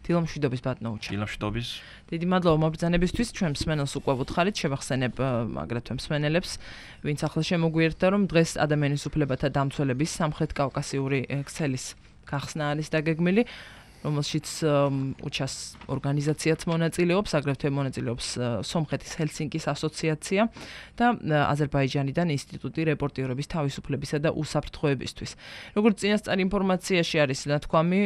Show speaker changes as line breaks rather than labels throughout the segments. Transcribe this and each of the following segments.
დილამშვიდობის ბატონოუჩა.
დილამშვიდობის.
დიდი მადლობა მობრძანებისთვის, ჩვენ მსმენელს უკვე ვუთხარით, შევახსენებ აგრეთვე მსმენელებს, ვინც ახლა შემოგვიერთდა, რომ დღეს ადამიანის უფლებათა დამცველების სამხრეთ კავკასიური ქსელის გახსნა არის დაგეგმილი, რომელშიც უჩას ორგანიზაციაც მონაწილეობს, აგრეთვე მონაწილეობს სომხეთის ჰელსინკის ასოციაცია და აზერბაიჯანიდან ინსტიტუტი რეპორტიორების თავისუფლებისა და უსაფრთხოებისთვის. როგორც წინასწარ ინფორმაციაში არის ნათქვამი,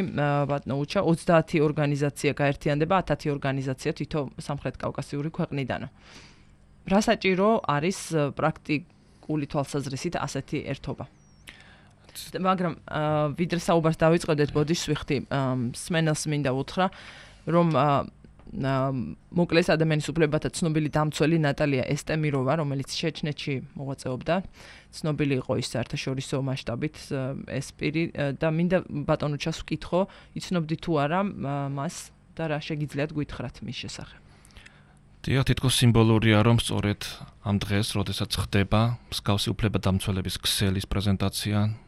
ბატონოუჩა 30 ორგანიზაცია გაერთიანდება, 10 ორგანიზაცია თითო სამხრეთ კავკასიური ქვეყნიდანო. რა საჭირო არის პრაქტიკული თვალსაზრისით ასეთი ერთობა? მაგრამ ვიდრე საუბარს დავიწყებდეთ, ბოდიშს ვიხდი, მსმენელს მინდა უთხრა, რომ მოკლეს ადამიანის უფლებათა ცნობილი დამცველი ნატალია ესტემიროვა, რომელიც ჩეჩნეთში მოღვაწეობდა, ცნობილი იყო ის საერთაშორისო მასშტაბით ეს პირი და მინდა ბატონოჩას ვკითხო, იცნობდი თუ არა მას და რა შეგიძლიათ გვითხრათ მის შესახებ.
დიახ, თითქოს სიმბოლურია, რომ სწორედ ამ დღეს, როდესაც ხდება მსგავსი უფლებადამცველების ქსელის პრეზენტაცია,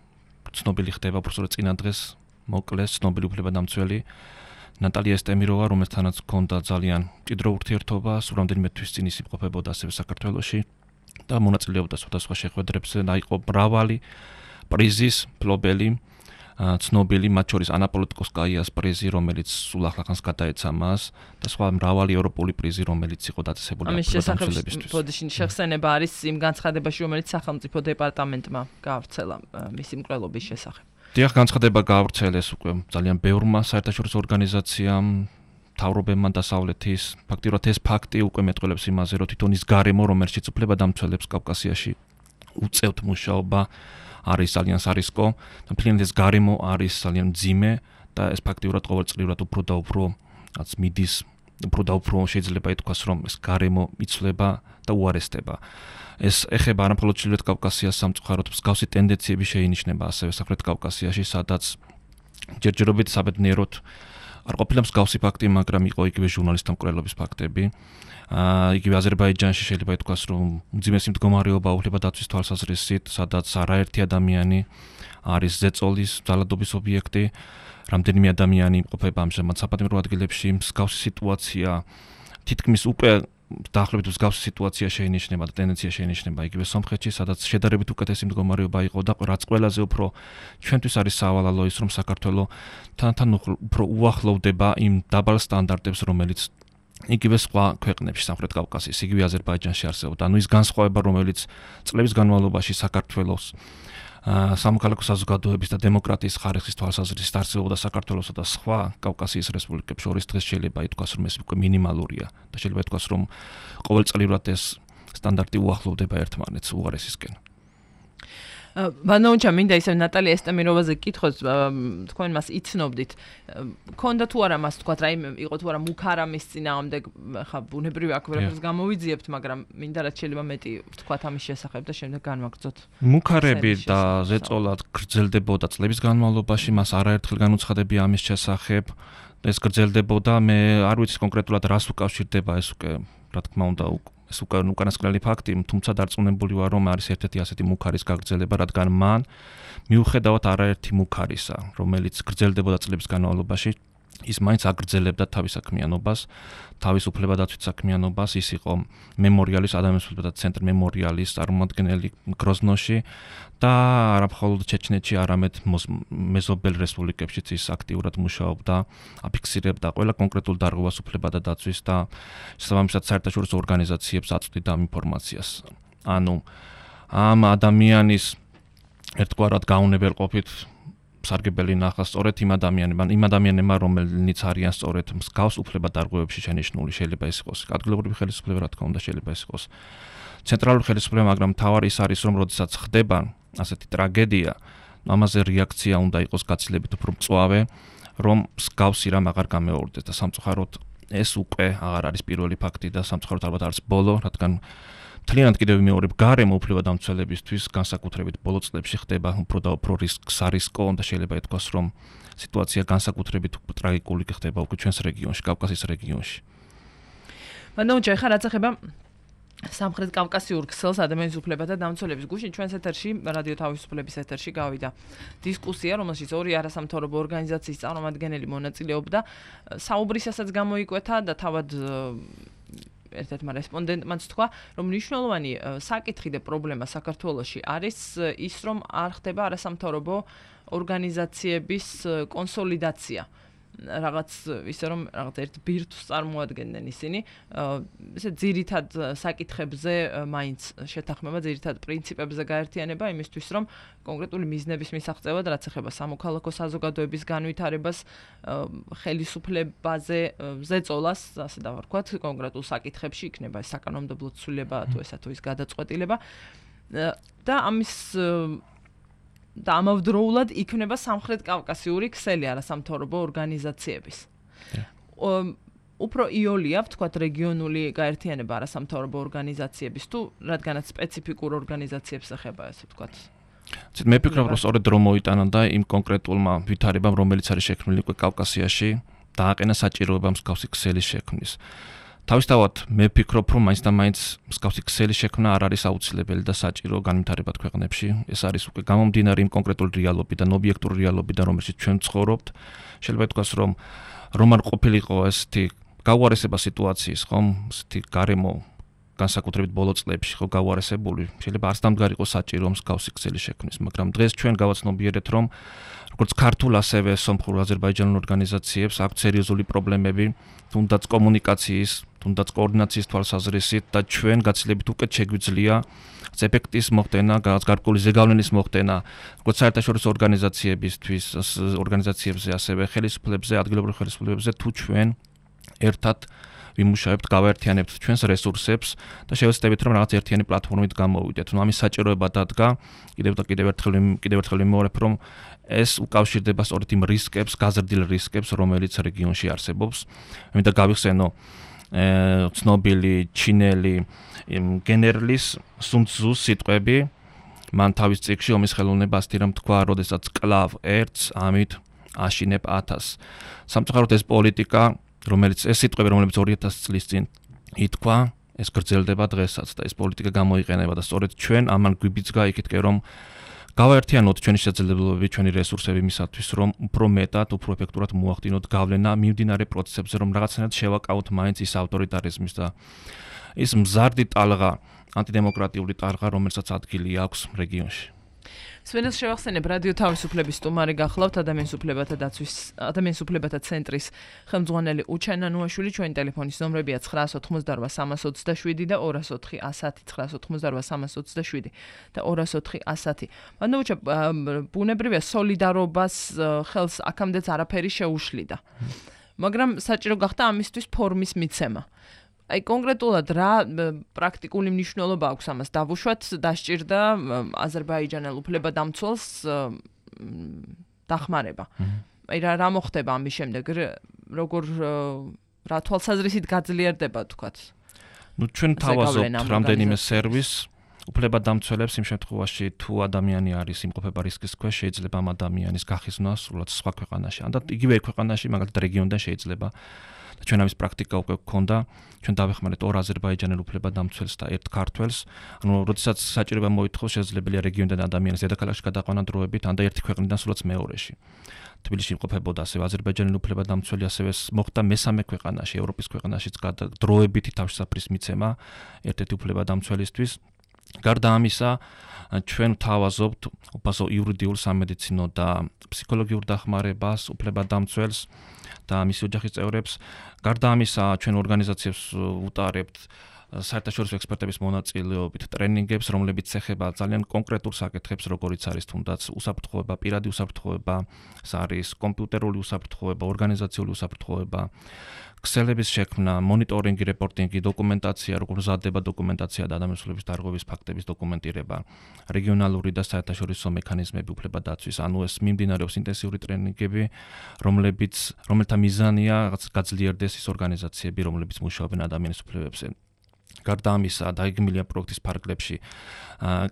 ცნობილი ხდება უბრალოდ წინა დღეს მოკლეს ცნობილი უფლებადამცველი ნატალია ესტემიროვა, რომელთანაც ჰქონდა ძალიან მჭიდრო ურთიერთობა, სულ რამდენიმე თვის წინ ის იმყოფებოდა ასევე საქართველოში და მონაწილეობდა სხვადასხვა შეხვედრებზე და იყო მრავალი პრიზის მფლობელი, ცნობილი, მათ შორის ანა პოლიტიკოსკაიას პრიზი, რომელიც სულ ახლახანს გადაეცა მას და სხვა მრავალი ევროპული პრიზი, რომელიც იყო დაწესებული
უფლებადამცველებისთვის. ბოდიში შეხსენება არის იმ განცხადებაში, რომელიც სახელმწიფო დეპარტამენტმა გაავრცელა მისი მკვლელობის შესახებ.
დიახ, განცხადება გაავრცელეს უკვე ძალიან ბევრმა საერთაშორისო ორგანიზაციამ, მთავრობებმა დასავლეთის. ფაქტიურად ეს ფაქტი უკვე მეტყველებს იმაზე, რომ თვითონ ის გარემო, რომელშიც უფლებადამცველებს კავკასიაში უწევთ მუშაობა, არის ძალიან სარისკო და მთლიანად ეს გარემო არის ძალიან მძიმე და ეს ფაქტიურად ყოველწლიურად უფრო და უფრო მიდის, უფრო და უფრო შეიძლება ითქვას, რომ ეს გარემო იცვლება და უარესდება. ეს ეხება არა მხოლოდ ჩრდილოეთ კავკასიას სამწუხაროდ, მსგავსი ტენდენციები შეინიშნება ასევე სამხრეთ კავკასიაში, სადაც ჯერჯერობით საბედნიეროდ არ ყოფილა მსგავსი ფაქტი, მაგრამ იყო იგივე ჟურნალისტთა მკვლელობის ფაქტები. იგივე აზერბაიჯანში შეიძლება ითქვას, რომ უძიმესი მდგომარეობა უფლებადაცვის თვალსაზრისით, სადაც არაერთი ადამიანი არის ზეწოლის, ძალადობის ობიექტი, რამდენიმე ადამიანი იმყოფება ამჟამად საპატიმრო ადგილებში, მსგავსი სიტუაცია თითქმის უკვე დაახლოებით მსგავსი სიტუაცია შეინიშნება და ტენდენცია შეინიშნება იგივე სომხეთში, სადაც შედარებით უკეთესი მდგომარეობა იყო და რაც ყველაზე უფრო ჩვენთვის არის სავალალო ის, რომ საქართველო თან უფრო უახლოვდება იმ დაბალ სტანდარტებს, რომელიც იგივე სხვა ქვეყნებში სამხრეთ კავკასიის, იგივე აზერბაიჯანში არსებობდა. ანუ ის განსხვავება, რომელიც წლების განმავლობაში საქართველოს სამოქალაქო საზოგადოების და დემოკრატიის ხარისხის თვალსაზრისით არსებობდა საქართველოსა და სხვა კავკასიის რესპუბლიკებს შორის დღეს შეიძლება ითქვას, რომ ეს უკვე მინიმალურია და შეიძლება ითქვას, რომ ყოველწლიურად ეს სტანდარტი უახლოვდება ერთმანეთს უარესისკენ.
ბანოუჩა მინდა ისე ნატალია ესტემიროვაზე გკითხოთ, თქვენ მას იცნობდით. ქონდა თუ არა მას თქვა, რაიმე იყო თუ არა მუქარა მის წინააღმდეგ, ხა ბუნებრივი აქ ვერაფერს გამოვიძიებთ, მაგრამ მინდა რაც შეიძლება მეტი ვთქვათ ამის შესახებ და შემდეგ განვაგრძოთ.
მუქარები და ზეწოლად გრძელდებოდა წლების განმავლობაში, მას არაერთხელ განუცხადებია ამის შესახებ. ეს გრძელდებოდა, მე არ ვიცი კონკრეტულად რას უკავშირდება ეს უკვე, რა თქმა უნდა, ეს უკანასკნელი ფაქტი, თუმცა დარწმუნებული ვარ, რომ არის ერთ-ერთი ასეთი მუქარის გაგრძელება, რადგან მან მიუხედავად არაერთი მუქარისა, რომელიც გრძელდებოდა წლების განმავლობაში, ის მაინც აგრძელებდა თავის საქმიანობას, თავის უფლებადაცვით საქმიანობას, ის იყო მემორიალის ადამიანის უფლებათა ცენტრი მემორიალის წარმომადგენელი გროზნოში და არა მხოლოდ ჩეჩნეთში, არამედ მეზობელ რესპუბლიკებშიც ის აქტიურად მუშაობდა, აფიქსირებდა ყველა კონკრეტულ დარღვევას უფლებადაცვის და შესაბამისად საერთაშორისო ორგანიზაციებს აწვდიდა ამ ინფორმაციას. ანუ ამ ადამიანის ერთგვარად გაუნებელყოფით სარგებელი ნახა სწორედ იმ ადამიანებმა, რომელნიც არიან სწორედ მსგავს უფლებადარღვევებში შენიშნული, შეიძლება ეს იყოს ადგილობრივი ხელისუფლება, რა თქმა უნდა, შეიძლება ეს იყოს ცენტრალური ხელისუფლება, მაგრამ მთავარი ის არის, რომ როდესაც ხდება ასეთი ტრაგედია, ამაზე რეაქცია უნდა იყოს გაცილებით უფრო მწვავე, რომ მსგავსი რამ აღარ გამეორდეს და სამწუხაროდ ეს უკვე აღარ არის პირველი ფაქტი და სამწუხაროდ ალბათ არის ბოლო, რადგან მთლიანად კიდევ მეორე გარემო უფლებადამცველებისთვის განსაკუთრებით ბოლო წლებში ხდება უფრო და უფრო სარისკო და შეიძლება ითქვას, რომ სიტუაცია განსაკუთრებით ტრაგიკული ხდება უკვე ჩვენს რეგიონში, კავკასიის რეგიონში.
ბანოუჩა, ხა რაც ეხება სამხრეთ კავკასიურ ქსელს ადამიანის უფლებათა დამცველების გუშინ ჩვენს ეთერში, რადიო თავისუფლების ეთერში გავიდა დისკუსია, რომელშიც ორი არასამთავრობო ორგანიზაციის წარმომადგენელი მონაწილეობდა. საუბრისასაც გამოიკვეთა და თავად ერთ-ერთმა რესპონდენტმაც თქვა, რომ მნიშვნელოვანი საკითხი და პრობლემა საქართველოში არის ის, რომ არ ხდება არასამთავრობო ორგანიზაციების კონსოლიდაცია. რაღაც ისე რომ რაღაც ერთ ბირთვს წარმოადგენენ ისინი, ესე ძირითად საკითხებზე მაინც შეთანხმება, ძირითად პრინციპებზე გაერთიანება იმისთვის, რომ კონკრეტული მიზნების მისაღწევად, რაც ეხება სამოქალაქო საზოგადოების განვითარებას, ხელისუფლებაზე ზეწოლას, ასე დავარქვათ, კონკრეტულ საკითხებში იქნება ეს საკანონმდებლო ცვლილება თუ ესა თუ ის გადაწყვეტილება და ამის და ამავდროულად იქნება სამხრეთ კავკასიური ქსელი არასამთავრობო ორგანიზაციების. უფრო იოლია, ვთქვათ, რეგიონული გაერთიანება არასამთავრობო ორგანიზაციების თუ რადგანაც სპეციფიკურ ორგანიზაციებს ეხება, ასე ვთქვათ.
მე ვფიქრობ, რომ სწორედ რომ მოიტანა და იმ კონკრეტულმა ვითარებამ, რომელიც არის შექმნილი უკვე კავკასიაში, დააყენა საჭიროება მსგავსი ქსელის შექმნის. თავისთავად მე ვფიქრობ, რომ მაინც და მაინც მსგავსი ქსელის შექმნა არ არის აუცილებელი და საჭირო განვითარება ქვეყნებში. ეს არის უკვე გამომდინარე იმ კონკრეტული რეალობიდან, ობიექტური რეალობიდან, რომელშიც ჩვენ ვცხოვრობთ. შეიძლება ითქვას, რომ არ ყოფილიყო ესეთი გაუარესება სიტუაციის, ხომ, ესეთი გარემო განსაკუთრებით ბოლო წლებში ხო გაუარესებული. შეიძლება არც დამდგარიყო საჭირო მსგავსი ქსელის შექმნის, მაგრამ დღეს ჩვენ გავაცნობიერეთ, რომ როგორც ქართულ, ასევე სომხურ აზერბაიჯანულ ორგანიზაციებს აქვს სერიოზული პრობლემები, თუნდაც კომუნიკაციის, თუნდაც კოორდინაციის თვალსაზრისით და ჩვენ გაცილებით უკეთ შეგვიძლია ეფექტის მოხდენა, გარკვეული ზეგავლენის მოხდენა, როგორც საერთაშორისო ორგანიზაციებზე, ასევე ხელისუფლებებზე, ადგილობრივ ხელისუფლებებზე, თუ ჩვენ ერთად ვიმუშავებთ, გავაერთიანებთ ჩვენს რესურსებს და შევეცდებით, რომ რაღაც ერთიანი პლატფორმით გამოვიდეთ. ამის საჭიროება დადგა, კიდევ ერთხელ ვიმეორებ, რომ ეს უკავშირდება სწორედ იმ რისკებს, გაზრდილ რისკებს, რომელიც რეგიონში არსებობს. მინდა გავიხსენო ცნობილი ჩინელი გენერლის სუნ ცუს სიტყვები, მან თავის წიგნში ომის ხელოვნება ასტირამ თქვა, როდესაც კლავ ერთს, ამით აშინებ 1000. სამწუხაროდ ეს პოლიტიკა, რომელიც ეს სიტყვები, რომელიც 2000 წლის წინ ითქვა, ეს გრძელდება დღესაც და ეს პოლიტიკა გამოიყენება და სწორედ ჩვენ ამან გვიბიძგა იქითკენ, რომ გავაერთიანოთ ჩვენი შესაძლებლობები, ჩვენი რესურსები მისათვის, რომ უფრო მეტად, უფრო ეფექტურად მოახდინოთ გავლენა მიმდინარე პროცესებზე, რომ რაღაცნაირად შევაკავოთ მაინც ის ავტორიტარიზმის და ის მზარდი ტალღა, ანტიდემოკრატიული ტალღა, რომელსაც ადგილი აქვს რეგიონში.
სვენელს შევახსენებ, რადიო თავისუფლების სტუმარი გახლავთ ადამიანის უფლებათა ცენტრის ხელმძღვანელი უჩენა ნუაშვილი. ჩვენი ტელეფონის ნომრებია 988-327 და 204-110-988-327 და 204-110. მანდ ბუნებრივია სოლიდარობას ხელს აქამდეც არაფერი შეუშლიდა. მაგრამ საჭირო გახდა ამისთვის ფორმის მიცემა. აი კონკრეტულად რა პრაქტიკული მნიშვნელობა აქვს ამას დავუშვათ, დასჭირდა აზერბაიჯანელ უფლებადამცველს დახმარება. აი რა მოხდება ამის შემდეგ, როგორ რა თვალსაზრისით გაძლიერდება თქვათ?
ჩვენ თავაზობთ რამდენიმე სერვისს უფლებადამცველებს იმ შემთხვევაში თუ ადამიანი არის იმყოფება რისკის ქვეშ, შეიძლება ამ ადამიანის გახიზნა სრულად სხვა ქვეყანაში. ან და იგივე ქვეყანაში, მაგალითად რეგიონიდან შეიძლება ჩვენ ამის პრაქტიკა უკვე გქონდა, ჩვენ დავეხმარეთ ორ აზერბაიჯანელ უფლებადამცველს და ერთ ქართველს. ანუ როდესაც საჭიროება მოითხოვს, შესაძლებელია რეგიონიდან ადამიანის დედაქალაქში გადაყვანა დროებით, ან და ერთი ქვეყნიდან სულაც მეორეში. თბილისში იმყოფებოდა ასევე აზერბაიჯანელი უფლებადამცველი, ასევე მოხდა მესამე ქვეყანაში, ევროპის ქვეყანაშიც დროებითი თავშესაფრის მიცემა ერთ-ერთი უფლებადამცველისთვის. გარდა ამისა, ჩვენ ვთავაზობთ უფასო იურიდიულ, სამედიცინო და ფსიქოლოგიურ დახმარებას უფლებადამცველს და მის ოჯახის წევრებს. გარდა ამისა, ჩვენ ორგანიზაციებს ვუტარებთ საერთაშორისო ექსპერტების მონაწილეობით ტრენინგებს, რომლებიც ეხება ძალიან კონკრეტულ საკითხებს, როგორიც არის თუნდაც უსაფრთხოება, პირადი უსაფრთხოება, ეს არის კომპიუტერული უსაფრთხოება, ორგანიზაციული უსაფრთხოება, ქსელების შექმნა, მონიტორინგი, რეპორტინგი, დოკუმენტაცია, როგორ მზადდება დოკუმენტაცია და ადამიანის უფლების დარღვევის ფაქტების დოკუმენტირება, რეგიონალური და საერთაშორისო მექანიზმები უფლებადაცვის. ანუ ეს მიმდინარეობს ინტენსიური ტრენინგები, რომელთა მიზანია გაძლიერდეს ის ორგანიზაციები, რომლებიც მუშაობენ ადამიანის უფლებებზე. გარდა ამისა, დაიგმილია პროექტის ფარგლებში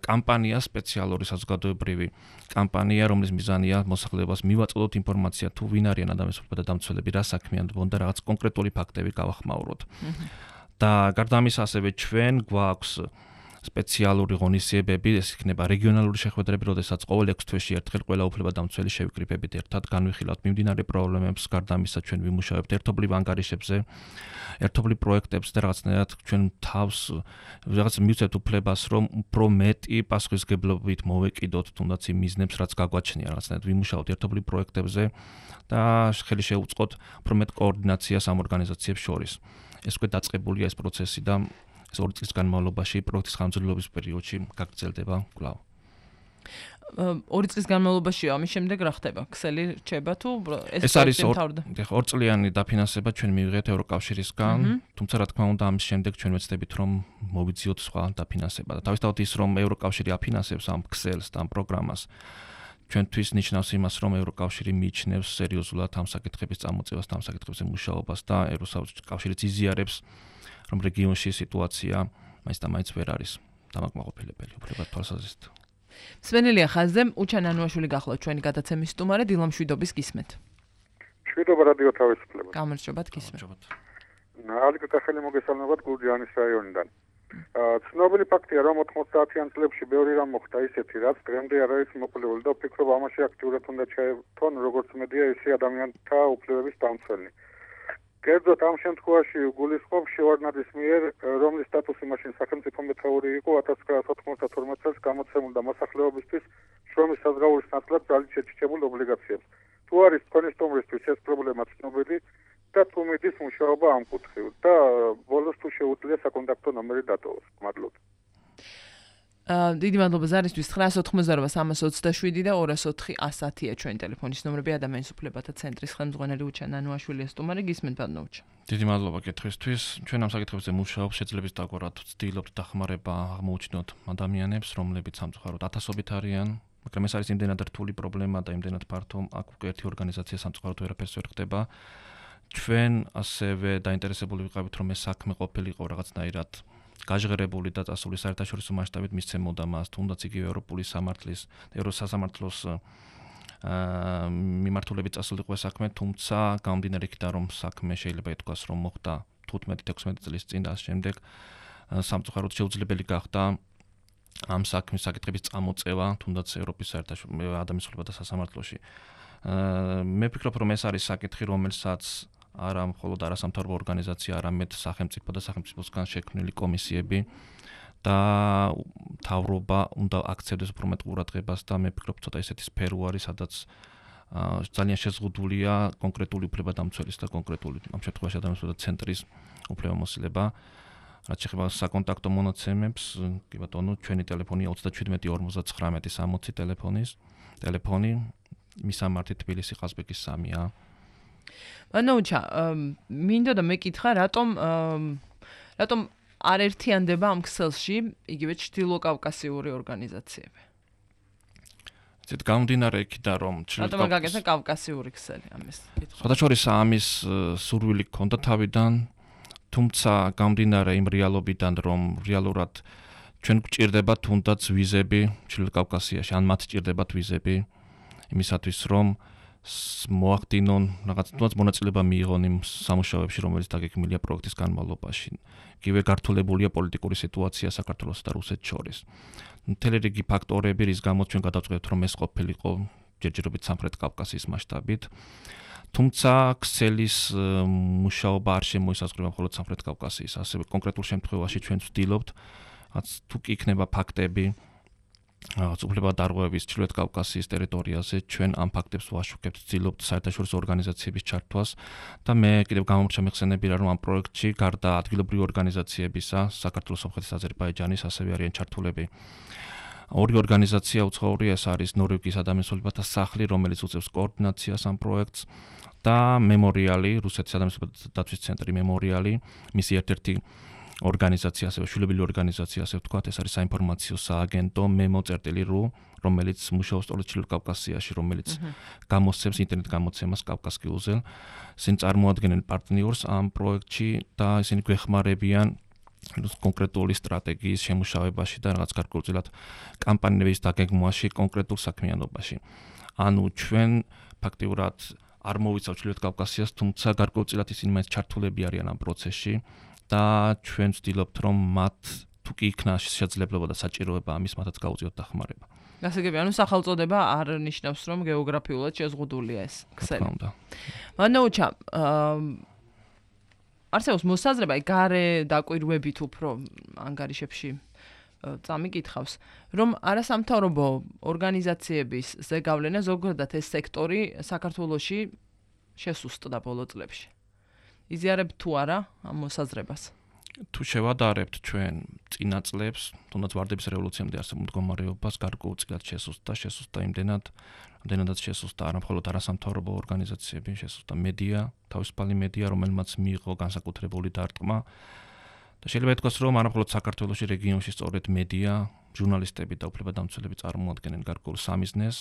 კამპანია, სპეციალური საზოგადოებრივი კამპანია, რომლის მიზანია მოსახლეობას მივაწოდოთ ინფორმაცია, თუ ვინ არიან ადამიანის უფლებათა დამცველები, რა საქმიანობენ და რაღაც კონკრეტული ფაქტები გავახმაუროთ. და გარდა ამისა ასევე ჩვენ გვაქვს სპეციალური ღონისძიებები, ეს იქნება რეგიონალური შეხვედრები, როდესაც ყოველ 6 თვეში ერთხელ ყველა უფლებადამცველი შევიკრიბებით ერთად, განვიხილავთ მიმდინარე პრობლემებს, გარდა ამისა ჩვენ ვიმუშავებთ ერთობლივ ანგარიშებზე, ერთობლივ პროექტებზე და რაღაცნაირად ჩვენ თავს რაღაც მივცეთ უფლებას, რომ უფრო მეტი პასუხისმგებლობით მოვეკიდოთ თუნდაც იმ მიზნებს, რაც გაგვაჩნია, რაღაცნაირად ვიმუშავოთ ერთობლივ პროექტებზე და ხელი შევუწყოთ უფრო მეტ კოორდინაციას ამ ორგანიზაციებს შორის. ეს უკვე დაწყებულია ეს პროცესი და ეს 2 წლის განმავლობაში პროექტის ხანგრძლივობის პერიოდში გაგრძელდება კვლავ.
2 წლის განმავლობაში ამის შემდეგ რა ხდება? ქსელი რჩება თუ
ეს არის 2 წლიანი დაფინანსება ჩვენ მივიღეთ ევროკავშირისგან, თუმცა რა თქმა უნდა ამის შემდეგ ჩვენ ვეცდებით რომ მოვიძიოთ სხვა დაფინანსება და თავისთავად ის რომ ევროკავშირი აფინანსებს ამ ქსელს და ამ პროგრამას ჩვენთვის ნიშნავს იმას, რომ ევროკავშირი მიიჩნევს სერიოზულად ამ საკითხების წამოწევას და ამ საკითხებზე მუშაობას და ევროკავშირიც იზიარებს რომ რეგიონში სიტუაცია მაინც და მაინც ვერ არის დამაკმაყოფილებელი, უფლებად თვალსაზრისით.
მსმენელია ხაზზე, უჩან ანუაშვილი გახლავთ ჩვენი გადაცემის სტუმარი, დილამ შვიდობის გისმენთ.
შვიდობა რადიო თავისუფლება.
გამარჯობათ გისმენთ.
ალიკა ხელი მოგესალმებათ გურჯაანის რაიონიდან. ცნობილი ფაქტია, რომ 90-იან წლებში ბევრი რამ მოხდა ისეთი, რაც დღემდე არ არის მოყოლებული და ვფიქრობ ამაში აქტიურად უნდა ჩაერთონ როგორც მედია, ისე ადამიანთა უფლებების დამცველი. კერძოდ ამ შემთხვევაში გულისხმობ შევარდნაძის მიერ, რომლის სტატუსი მაშინ სახელმწიფო მეთაური იყო 1992 წელს გამოცემულ და მოსახლეობისთვის შრომის საზღაურის ნაცვლად ძალით შეჩიჩებულ ობლიგაციებს. თუ არის თქვენი სტუმრისთვის ეს პრობლემა ცნობილი და თუ მიდის მუშაობა ამ კუთხით და ბოლოს თუ შეუძლია საკონტაქტო ნომერი დატოვოს. მადლობთ.
დიდი მადლობა ზარისთვის 988-327 და 204-110-ია ჩვენი ტელეფონის ნომრები ადამიანის უფლებათა ცენტრის ხელმძღვანელი უჩან ანუაშვილი სტუმარი გისმენთ ბატონოჩა.
დიდი მადლობა კითხვისთვის. ჩვენ ამ საკითხებზე მუშაობთ, შეძლებს დაგვარად ვცდილობთ დახმარება აღმოუჩინოთ ადამიანებს, რომლებიც სამწუხაროდ ათასობით არიან, მაგრამ ეს არის იმდენად რთული პრობლემა და იმდენად ფართო, აქ უკვე ერთი ორგანიზაცია სამწუხაროდ ვერაფერს ვერ ხდება. ჩვენ ასევე დაინტერესებული ვიყავით, რომ ეს საქმე ყოფილიყო რაღაცნაირად გაჟღერებული და წასული საერთაშორისო მასშტაბით მისცემოდა მას, თუნდაც იგივე ევროპული სამართლის, ევროსასამართლოს მიმართულებით წასულიყო ეს საქმე, თუმცა გამომდინარე იქიდან, რომ საქმე შეიძლება ითქვას, რომ მოხდა 15-16 წლის წინ და ამ შემდეგ სამწუხაროდ შეუძლებელი გახდა ამ საქმის საკითხების წამოწევა, თუნდაც ევროპის საერთაშორისო ადამიანის უფლებათა სასამართლოში. მე ვფიქრობ, რომ ეს არის საკითხი, რომელსაც არა მხოლოდ არასამთავრობო ორგანიზაცია, არამედ სახელმწიფო და სახელმწიფოსგან შექმნილი კომისიები და მთავრობა უნდა აქცევდეს უფრო მეტ ყურადღებას და მე ვფიქრობ, ცოტა ისეთი სფერო არის, სადაც ძალიან შეზღუდულია კონკრეტული უფლებადამცველის და კონკრეტული ამ შემთხვევაში ადამიანის უფლებათა ცენტრის უფლებამოსილება. რაც შეეხება საკონტაქტო მონაცემებს, კი ბატონო, ჩვენი ტელეფონია 37 59 60 ტელეფონი, მისამართი თბილისი ყაზბეგის 3-ია.
ბანოუჩა, მინდოდა მეკითხა, რატომ არ ერთიანდება ამ ქსელში იგივე ჩრდილოკავკასიური ორგანიზაციები?
ზედ გამომდინარე იქიდან, რომ
რატომ გაგეცა კავკასიური ქსელი ამის კითხვა?
სხვადასხვა ამის სურვილი ჰქონდა თავიდან, თუმცა გამომდინარე იმ რეალობიდან, რომ რეალურად ჩვენ გვჭირდება თუნდაც ვიზები ჩრდილოკავკასიაში, ან მათ ჭირდებათ ვიზები იმისათვის, რომ მოახდინონ რაღაც თუნდაც მონაწილეობა მიიღონ იმ სამუშაოებში, რომელიც დაგეგმილია პროექტის განმავლობაში. იგივე გართულებულია პოლიტიკური სიტუაცია საქართველოსა და რუსეთს შორის. მთელი რიგი ფაქტორები, რის გამოც ჩვენ გადავწყვეტთ, რომ ეს ყოფილიყო ჯერჯერობით სამხრეთ კავკასიის მასშტაბით. თუმცა ქსელის მუშაობა არ შემოისაზღვრება მხოლოდ სამხრეთ კავკასიის, ასევე კონკრეტულ შემთხვევაში ჩვენ ვცდილობთ, თუ კი იქნება ფაქტები რაღაც უფლებადარღვევების ჩრდილოეთ კავკასიის ტერიტორიაზე, ჩვენ ამ ფაქტებს ვაშუქებთ, ვცდილობთ საერთაშორისო ორგანიზაციების ჩართვას და მე კიდევ გამომრჩა მეხსენებია, რომ ამ პროექტში გარდა ადგილობრივი ორგანიზაციებისა, საქართველოს, სომხეთის, აზერბაიჯანის ასევე არიან ჩართულები ორი ორგანიზაცია უცხოური, ეს არის ნორვეგიის ადამიანის უფლებათა სახლი, რომელიც უწევს კოორდინაციას ამ პროექტს და მემორიალი, რუსეთის ადამიანის უფლებათა დაცვის ცენტრი მემორიალი, მისი ერთ-ერთი ორგანიზაცია, ასევე შვილობილი ორგანიზაცია, ასე ვთქვათ, ეს არის საინფორმაციო სააგენტო memo.ru, რომელიც მუშაობს სწორედ ჩრდილო კავკასიაში, რომელიც გამოსცემს ინტერნეტ გამოცემას კავკასკიუზე. ისინი წარმოადგენენ პარტნიორს ამ პროექტში და ისინი გვეხმარებიან კონკრეტული სტრატეგიის შემუშავებაში და რაღაც გარკვეულწილად კამპანიების დაგეგმვაში, კონკრეტულ საქმიანობაში. ანუ ჩვენ ფაქტიურად არ მოვიცავთ ჩრდილოეთ კავკასიას, თუმცა გარკვეულწილად ისინი მაინც ჩართულები არიან ამ პროცესში. და ჩვენ ვცდილობთ რომ მათ თუ კი იქნა შესაძლებლობა და საჭიროება ამის მათაც გაუწიოთ დახმარება.
გასაგები, ანუ სახელწოდება არ ნიშნავს რომ გეოგრაფიულად შეზღუდულია ეს ქსელი. მანოუჩა, არსებობს მოსაზრება, გარე დაკვირვებით უფრო ანგარიშებში წამიკითხავს, რომ არასამთავრობო ორგანიზაციების ზეგავლენა ზოგადად ეს სექტორი საქართველოში შესუსტდა ბოლო წლებში. იზიარებთ თუ არა ამ მოსაზრებას?
თუ შევადარებთ ჩვენ წინა წლებს, თუნდაც ვარდების რევოლუციამდე არსებულ მდგომარეობას გარკვეულწილად შესუსტდა იმდენადაც შესუსტდა არა მხოლოდ არასამთავრობო ორგანიზაციები, შესუსტდა მედია, თავისუფალი მედია, რომელმაც მიიღო განსაკუთრებული დარტყმა. და შეიძლება ითქვას, რომ არა მხოლოდ საქართველოში, რეგიონში სწორედ მედია, ჟურნალისტები და უფლებადამცველები წარმოადგენენ გარკვეულ სამიზნეს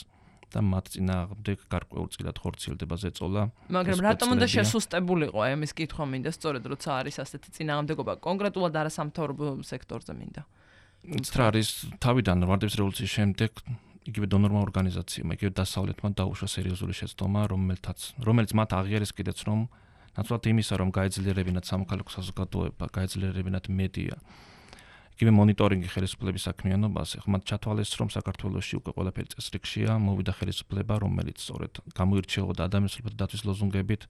და მათ წინააღმდეგ გარკვეულწილად ხორციელდება ზეწოლა.
მაგრამ რატომ უნდა შესუსტებულიყო აი ამის კითხვა მინდა სწორედ როცა არის ასეთი წინააღმდეგობა კონკრეტულად არასამთავრობო სექტორზე მინდა.
რა არის თავიდან ვარდების რევოლუციის შემდეგ იგივე დონორმა ორგანიზაციებმა, იგივე დასავლეთმა დაუშვა სერიოზული შეცდომა, რომელიც მათ აღიარეს კიდეც რომ ნაცვლად იმისა, რომ გაეძლიერებინათ სამოქალაქო საზოგადოება, გაეძლიერებინათ მედია, იგივე მონიტორინგი ხელისუფლების საქმიანობაზე, მათ ჩათვალეს, რომ საქართველოში უკვე ყველაფერი წესრიგშია, მოვიდა ხელისუფლება, რომელიც სწორედ გამოირჩეოდა ადამიანის უფლებათა დაცვის ლოზუნგებით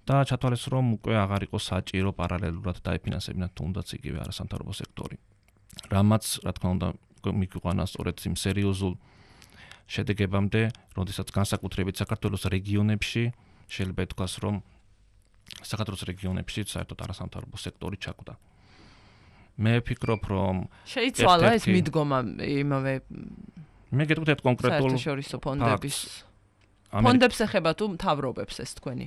და ჩათვალეს, რომ უკვე აღარ იყო საჭირო პარალელურად დაეფინანსებინათ თუნდაც იგივე არასამთავრობო სექტორი. რამაც, რა თქმა უნდა, მიგვიყვანა სწორედ იმ სერიოზულ შედეგებამდე, როდესაც განსაკუთრებით საქართველოს რეგიონებში შეიძლება ითქვას, რომ საქართველოს რეგიონებში საერთოდ არასამთავრობო სექტორი ჩაკვდა. მე ვფიქრობ, რომ
შეიცვალა ეს მიდგომა იმავე
მე გეტყვით კონკრეტულ
საერთაშორისო ფონდებს ეხება თუ მთავრობებს ეს თქვენი?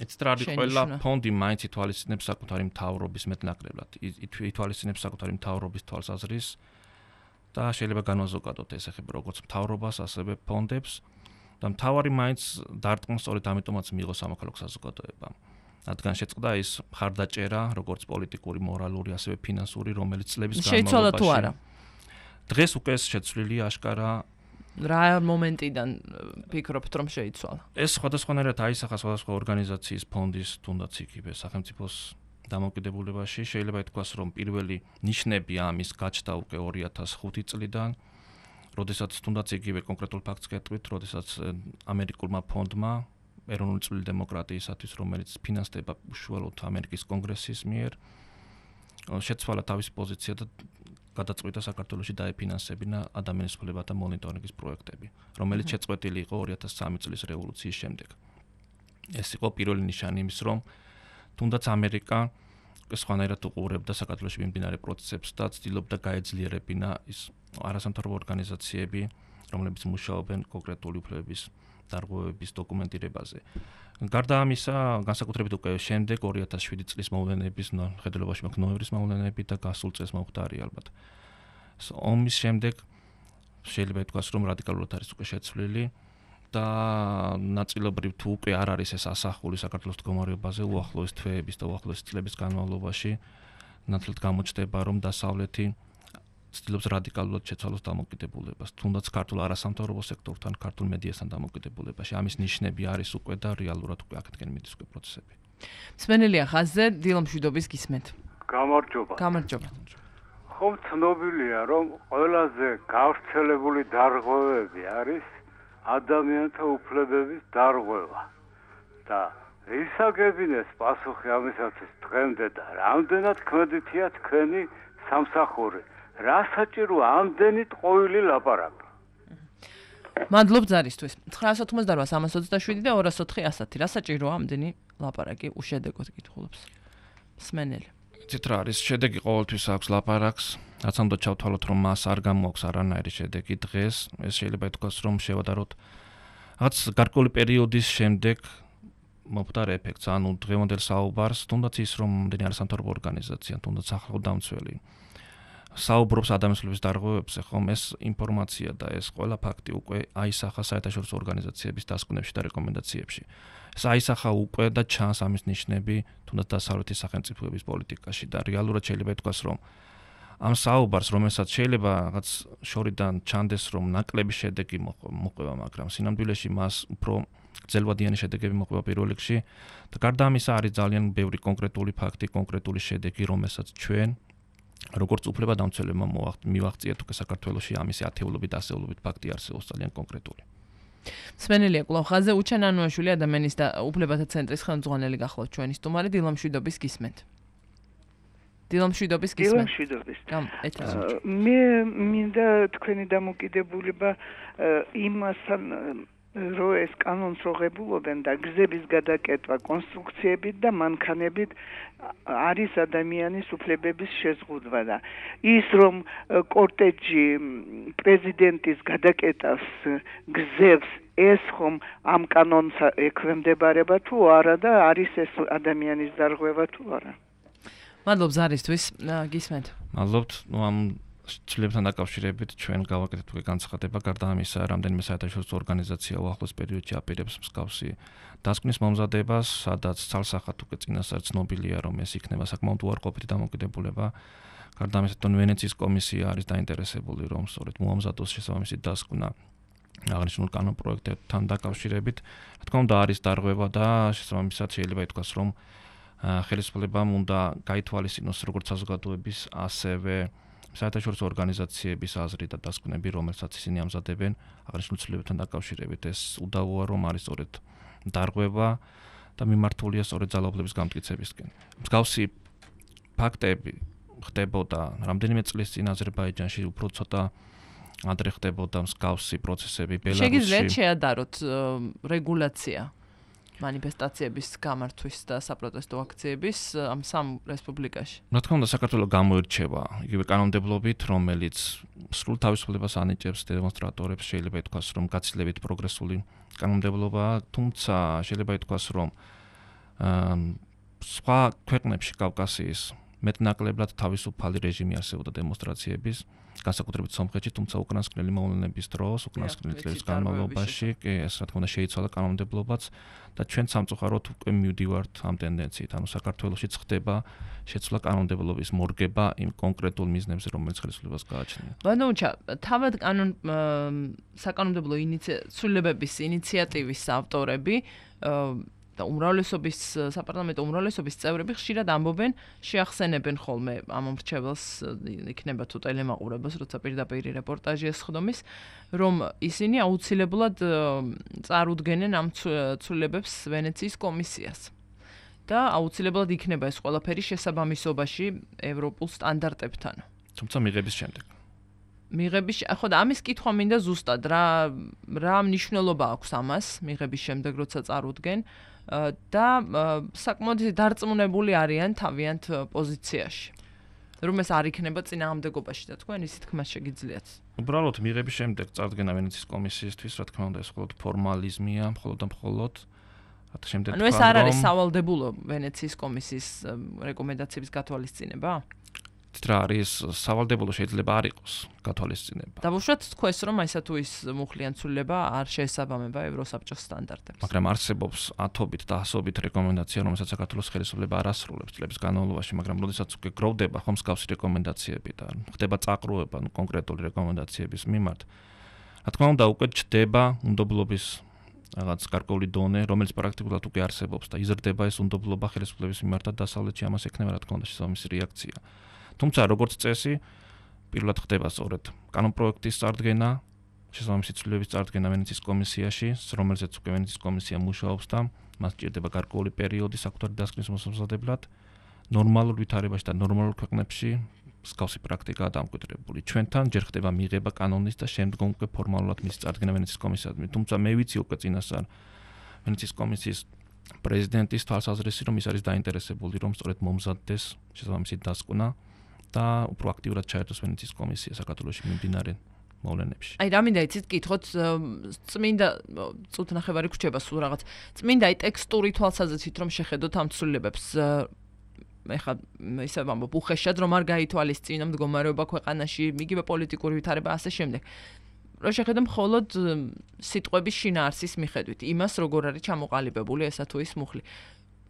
ეცტრადი ყველა ფონდი მაინც ითვალისწინებს საკუთარი მთავრობის მეტნაკლებად. ითვალისწინებს საკუთარი მთავრობის თვალსაზრისს და შეიძლება განვაზოგადოთ ეს ეხება როგორც მთავრობას, ასევე ფონდებს და მთავარი მაინც დარტყმა სწორედ ამიტომაც მიიღო სამოქალაქო საზოგადოებამ. რადგან შეწყდა ის მხარდაჭერა, როგორც პოლიტიკური, მორალური, ასევე ფინანსური, რომელიც წლების განმავლობაში
შეიცვალა თუ არა?
დღეს უკვე შეცვლილია აშკარა.
რა მომენტიდან ფიქრობთ რომ შეიცვალა?
ეს სხვადასხვანაირად აისახა სხვადასხვა ორგანიზაციის ფონდის, თუნდაც იგივე სახელმწიფოს დამოუკიდებულებაში. შეიძლება ითქვას, რომ პირველი ნიშნები ამის გაჩნდა უკვე 2005 წლიდან, როდესაც თუნდაც იგივე კონკრეტულ ფაქტს გეტყვით, როდესაც ამერიკულმა ფონდმა ეროვნული წვლილი დემოკრატიისათვის, რომელიც ფინანსდება უშუალოდ ამერიკის კონგრესის მიერ, შეცვალა თავისი პოზიცია და გადაწყვიტა საქართველოში დაეფინანსებინა ადამიანის უფლებათა მონიტორინგის პროექტები, რომელიც შეწყვეტილი იყო 2003 წლის რევოლუციის შემდეგ. ეს იყო პირველი ნიშანი იმის, რომ თუნდაც ამერიკა სხვანაირად უყურებდა საქართველოში მიმდინარე პროცესებს და ცდილობდა გაეძლიერებინა ის არასამთავრობო ორგანიზაციები, რომლებიც მუშაობენ კონკრეტული უფლებების დარღვევების დოკუმენტირებაზე. გარდა ამისა, განსაკუთრებით უკვე შემდეგ 2007 წლის მოვლენების, ხედელობაში მაქვს ნოემბრის მოვლენები და გასულ წელს მომხდარი ალბათ. ომის შემდეგ შეიძლება ითქვას, რომ რადიკალურად არის უკვე შეცვლილი და ნაწილობრივ თუ უკვე არ არის ეს ასახული საქართველოს მდგომარეობაზე უახლოეს თვეების და უახლოეს წლების განმავლობაში, ნათლად გამოჩნდება, რომ დასავლეთი ცდილობს რადიკალურად შეცვალოს დამოუკიდებლობას, თუნდაც ქართულ არასამთავრობო სექტორთან, ქართულ მედიასთან დამოუკიდებულებაში. ამის ნიშნები არის უკვე და რეალურად უკვე აქეთკენ მიდის უკვე პროცესები.
მსმენელია ხაზზე, დილო მშვიდობის გისმენთ.
გამარჯობა.
გამარჯობა.
ხომ ცნობილია, რომ ყველაზე გავრცელებული დარღვევები არის ადამიანთა უფლებების დარღვევა და ისაგებინეს პასუხი ამისათვის დღემდე და რამდენად ქმედითია თქვენი სამსახური. რა საჭიროა ამდენი ტყუილი ლაპარაკი?
მადლობ ზარისთვის. 988-327 და 204-100. რა საჭიროა ამდენი ლაპარაკი? უშედეგოდ კითხულობს მსმენელი.
იცით რა არის, შედეგი ყოველთვის აქვს ლაპარაკს, რაც უნდა ჩავთვალოთ, რომ მას არ გამოაქვს არანაირი შედეგი დღეს. ეს შეიძლება ითქვას, რომ შევადაროთ რაც გარკვეული პერიოდის შემდეგ მომხდარ ეფექტს, ანუ დღევანდელ საუბარს, თუნდაც ის, რომ ამდენი არასამთავრობო ორგანიზაცია, თუნდაც სახელმწიფო საუბრობს ადამიანის უფლებების დარღვევებზე, ხომ ეს ინფორმაცია და ეს ყველა ფაქტი უკვე აისახა საერთაშორისო ორგანიზაციების დასკვნებში და რეკომენდაციებში. ეს აისახა უკვე და ჩანს ამის ნიშნები, თუნდაც დასავლეთის სახელმწიფოების პოლიტიკაში და რეალურად შეიძლება ითქვას, რომ ამ საუბარს, რომელსაც შეიძლება რაღაც შორიდან ჩანდეს, რომ ნაკლები შედეგი მოყვება, მაგრამ სინამდვილეში მას უფრო გრძელვადიანი შედეგები მოყვება პირველ რიგში და გარდა ამისა არის ძალიან ბევრი კონკრეტული ფაქტი, კონკრეტული შედეგი, რომელსაც ჩვენ როგორც უფლებადამცველებმა მივაღწიეთ უკვე საქართველოში ამისი ათეულობით, ასეულობით ფაქტი არსებობს ძალიან კონკრეტული.
სმენელია კვლავ ხაზზე უჩენ ანუაშვილი ადამიანის და უფლებათა ცენტრის ხელმძღვანელი გახლავთ ჩვენი სტუმარი დილა მშვიდობის გისმენთ. დილა მშვიდობის გისმენთ.
მე მინდა თქვენი დამოკიდებულება იმასთან რომ ეს კანონს როღებულობენ და გზების გადაკეთვა კონსტრუქციებით და მანქანებით არის ადამიანის უფლებების შეზღუდვა და ის რომ კორტეჯი პრეზიდენტის გადაკეთავს გზებს ეს ხომ ამ კანონს ექვემდებარება თუ არა და არის ეს ადამიანის დარღვევა თუ არა.
მადლობ ზარისთვის გისმენთ.
მადლობთ ამ ცვლილებთან დაკავშირებით ჩვენ გავაკეთეთ უკვე განცხადება გარდა ამისა რამდენიმე საერთაშორისო ორგანიზაცია უახლოს პერიოდში აპირებს მსგავსი დასკვნის მომზადებას, სადაც ცალსახად უკვე წინასწარ ცნობილია რომ ეს იქნება საკმაოდ უარყოფითი დამოკიდებულება. გარდა ამისა ვენეციის კომისია არის დაინტერესებული რომ სწორედ მოამზადოს შესაბამისი დასკვნა აღნიშნულ კანონ პროექტებთან დაკავშირებით. რა თქმა უნდა არის დარღვევა და შესაბამისად შეიძლება ითქვას რომ ხელისუფლებამ უნდა გაითვალისწინოს როგორც საზოგადოების ასევე საერთაშორისო ორგანიზაციების აზრი და დასკვნები, რომელსაც ისინი ამზადებენ აღნიშნულ ცვლილებებთან დაკავშირებით, ეს უდავოა რომ არის სწორედ დარღვევა და მიმართულია სწორედ ძალაუფლების გამტკიცებისკენ. მსგავსი ფაქტები ხდებოდა რამდენიმე წლის წინ აზერბაიჯანში, უფრო ცოტა ადრე ხდებოდა მსგავსი პროცესები ბელარუსში.
შეგიძლიათ შეადაროთ რეგულაცია მანიფესტაციების გამართვის და საპროტესტო აქციების ამ სამ რესპუბლიკაში.
რა თქმა უნდა, საქართველო გამოირჩევა იგივე კანონმდებლობით, რომელიც სრულ თავისუფლებას ანიჭებს დემონსტრატორებს, შეიძლება ითქვას, რომ გაცილებით პროგრესული კანონმდებლობაა, თუმცა შეიძლება ითქვას, რომ სხვა ქვეყნებში კავკასიის მეტნაკლებად თავისუფალი რეჟიმი არსებობდა დემონსტრაციების, განსაკუთრებით სომხეთში, თუმცა უკრაინსკნელი მოვლენების დროს, უკრაინსკნელი წლების განმავლობაში, ეს რა თქმა უნდა შეიცვალა კანონმდებლობაც და ჩვენ სამწუხაროდ უკვე მივდივართ ამ ტენდენციით, ანუ საქართველოშიც ხდება შეცვლა კანონმდებლობის მორგება იმ კონკრეტულ მიზნებზე, რომელიც ხელისუფლებას გააჩნია.
ბანოუჩა, თავად საკანონმდებლო ცვლილებების ინიციატივის ავტორები და საპარლამენტო უმრავლესობის წევრები ხშირად ამბობენ, შეახსენებენ ხოლმე ამ მრჩეველს, იქნება თუ ტელემაყურებელს, როცა პირდაპირ რეპორტაჟი ესხდომის, რომ ისინი აუცილებლად წარუდგენენ ამ ცვლილებებს ვენეციის კომისიას. და აუცილებლად იქნება ეს ყველაფერი შესაბამისობაში ევროპულ სტანდარტებთან.
თუმცა მიღების შემდეგ.
ხო და ამის კითხვა მინდა ზუსტად რა მნიშვნელობა აქვს ამას მიღების შემდეგ როცა წარუდგენ და საკმაოდ დარწმუნებული არიან თავიანთ პოზიციაში. რომ ეს არ იქნება წინააღმდეგობაში და თქვენ ისე თქმა შეგიძლიათ.
უბრალოდ მიღების შემდეგ წარდგენა ვენეციის კომისიისთვის, რა თქმა უნდა, ეს მხოლოდ ფორმალიზმია, მხოლოდ და მხოლოდ შემდეგ
ანუ ეს არ არის სავალდებულო ვენეციის კომისიის რეკომენდაციების გათვალისწინება?
რა არის სავალდებულო შეიძლება არ იყოს გათვალისწინება.
დავუშვათ თქვენს რომ აისა თუ ის მუხლიან ცვლილება არ შეესაბამება ევროსაბჭოს სტანდარტებს.
მაგრამ არსებობს ათობით და ასობით რეკომენდაცია, რომელსაც საქართველოს ხელისუფლება არ ასრულებს წლების განმავლობაში, მაგრამ როდესაც უკვე გროვდება ხომ მსგავსი რეკომენდაციები და ხდება წაყრუება კონკრეტული რეკომენდაციების მიმართ, რა თქმა უნდა უკვე ჩდება უნდობლობის რაღაც გარკვეული დონე, რომელიც პრაქტიკულად უკვე არსებობს და იზრდება ეს უნდობლობა ხელისუფლების მიმართ და დასავლეთში ამას ექნება რა თქმა უნდა შესაბამისი რეაქცია. თუმცა როგორც წესი, პირველად ხდება სწორედ კანონპროექტის წარდგენა, შესაბამისი ცვლილებების წარდგენა ვენეციის კომისიაში, რომელზეც უკვე ვენეციის კომისია მუშაობს და მას ჭირდება გარკვეული პერიოდი საკუთარი დასკვნის მოსამზადებლად. ნორმალურ ვითარებაში და ნორმალურ ქვეყნებში მსგავსი პრაქტიკაა დამკვიდრებული. ჩვენთან ჯერ ხდება მიღება კანონის და შემდგომ უკვე ფორმალურად მისი წარდგენა ვენეციის კომისიაზე. თუმცა მე ვიცი უკვე წინასწარ ვენეციის კომისიის პრეზიდენტის თვალსაზრისი, რომ ის არის დაინტერესებული, რომ სწორედ მომზადდეს შესაბამისი დასკვნა და უფრო აქტიურად ჩაერთოს ვენეციის კომისია საქართველოში მიმდინარე მოვლენებში.
აი, რა მინდა იცით, კითხოთ, წმინდა წუთ ნახევარი გრჩება სულ რაღაც. წმინდა ტექსტური თვალსაზრისით რომ შეხედოთ ამ ცვლილებებს. ეხლა ისე ვამბობ, უხეშად რომ არ გაითვალისწინო მდგომარეობა ქვეყანაში, იგივე პოლიტიკური ვითარება ასე შემდეგ. რომ შეხედო მხოლოდ სიტყვების შინაარსის მიხედვით, იმას როგორ არის ჩამოყალიბებული ესა თუ ის მუხლი.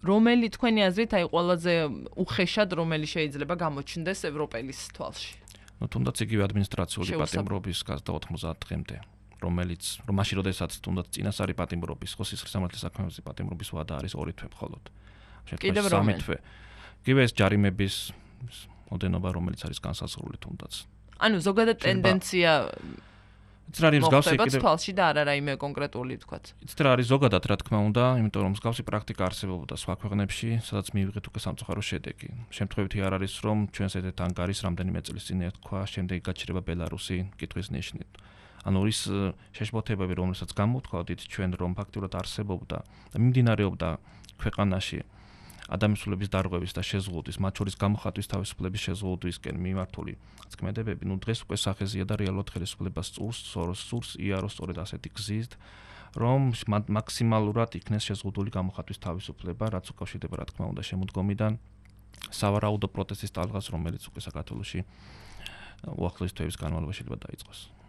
რომელი თქვენი აზრით აი ყველაზე უხეშად რომელი შეიძლება გამოჩნდეს ევროპელის თვალში?
თუნდაც იგივე ადმინისტრაციული პატიმრობის გაზრდა 90 დღემდე. რომელიც მაშინ როდესაც თუნდაც წინასწარი პატიმრობის, ხო სისხლის სამართლის საქმეების პატიმრობის ვადა არის 2 თვე მხოლოდ.
კიდევ
3 თვე. კიდევ ეს ჯარიმების მოდენობა, რომელიც არის განსაზღვრული თუნდაც.
ანუ ზოგადად ტენდენცია
იცით რა არის მსგავსი
კიდევ თვალში და არა რაიმე კონკრეტული თქვათ.
იცით რა არის ზოგადად რა თქმა უნდა, იმიტომ რომ მსგავსი პრაქტიკა არსებობდა სხვა ქვეყნებში, სადაც მივიღეთ უკვე სამწუხარო შედეგი. შემთხვევითი არ არის რომ ჩვენს ერთ ანგარის რამდენიმე წლის წინ ეთქვა, შემდეგი გაჩერება ბელარუსი კითხვის ნიშნით. ანუ ის შეშფოთებები, რომელსაც გამოთქვათ ჩვენ რომ ფაქტურად არსებობდა და მიმდინარეობდა ქვეყანაში ადამიანის დარღვევის და შეზღუდვის, მათ შორის გამოხატვის თავისუფლების შეზღუდვისკენ მიმართული წქმედებები, დღეს უკვე სახეზია და რეალურად ხელისუფლებას სურს იაროს სწორედ ასეთი გზით, რომ მაქსიმალურად იქნეს შეზღუდული გამოხატვის თავისუფლება, რაც უკავშირდება რა თქმა უნდა შემოდგომიდან სავარაუდო პროტესტის ტალღას, რომელიც უკვე საქართველოში უახლოეს თვეების განმავლობაში შეიძლება დაიწყოს.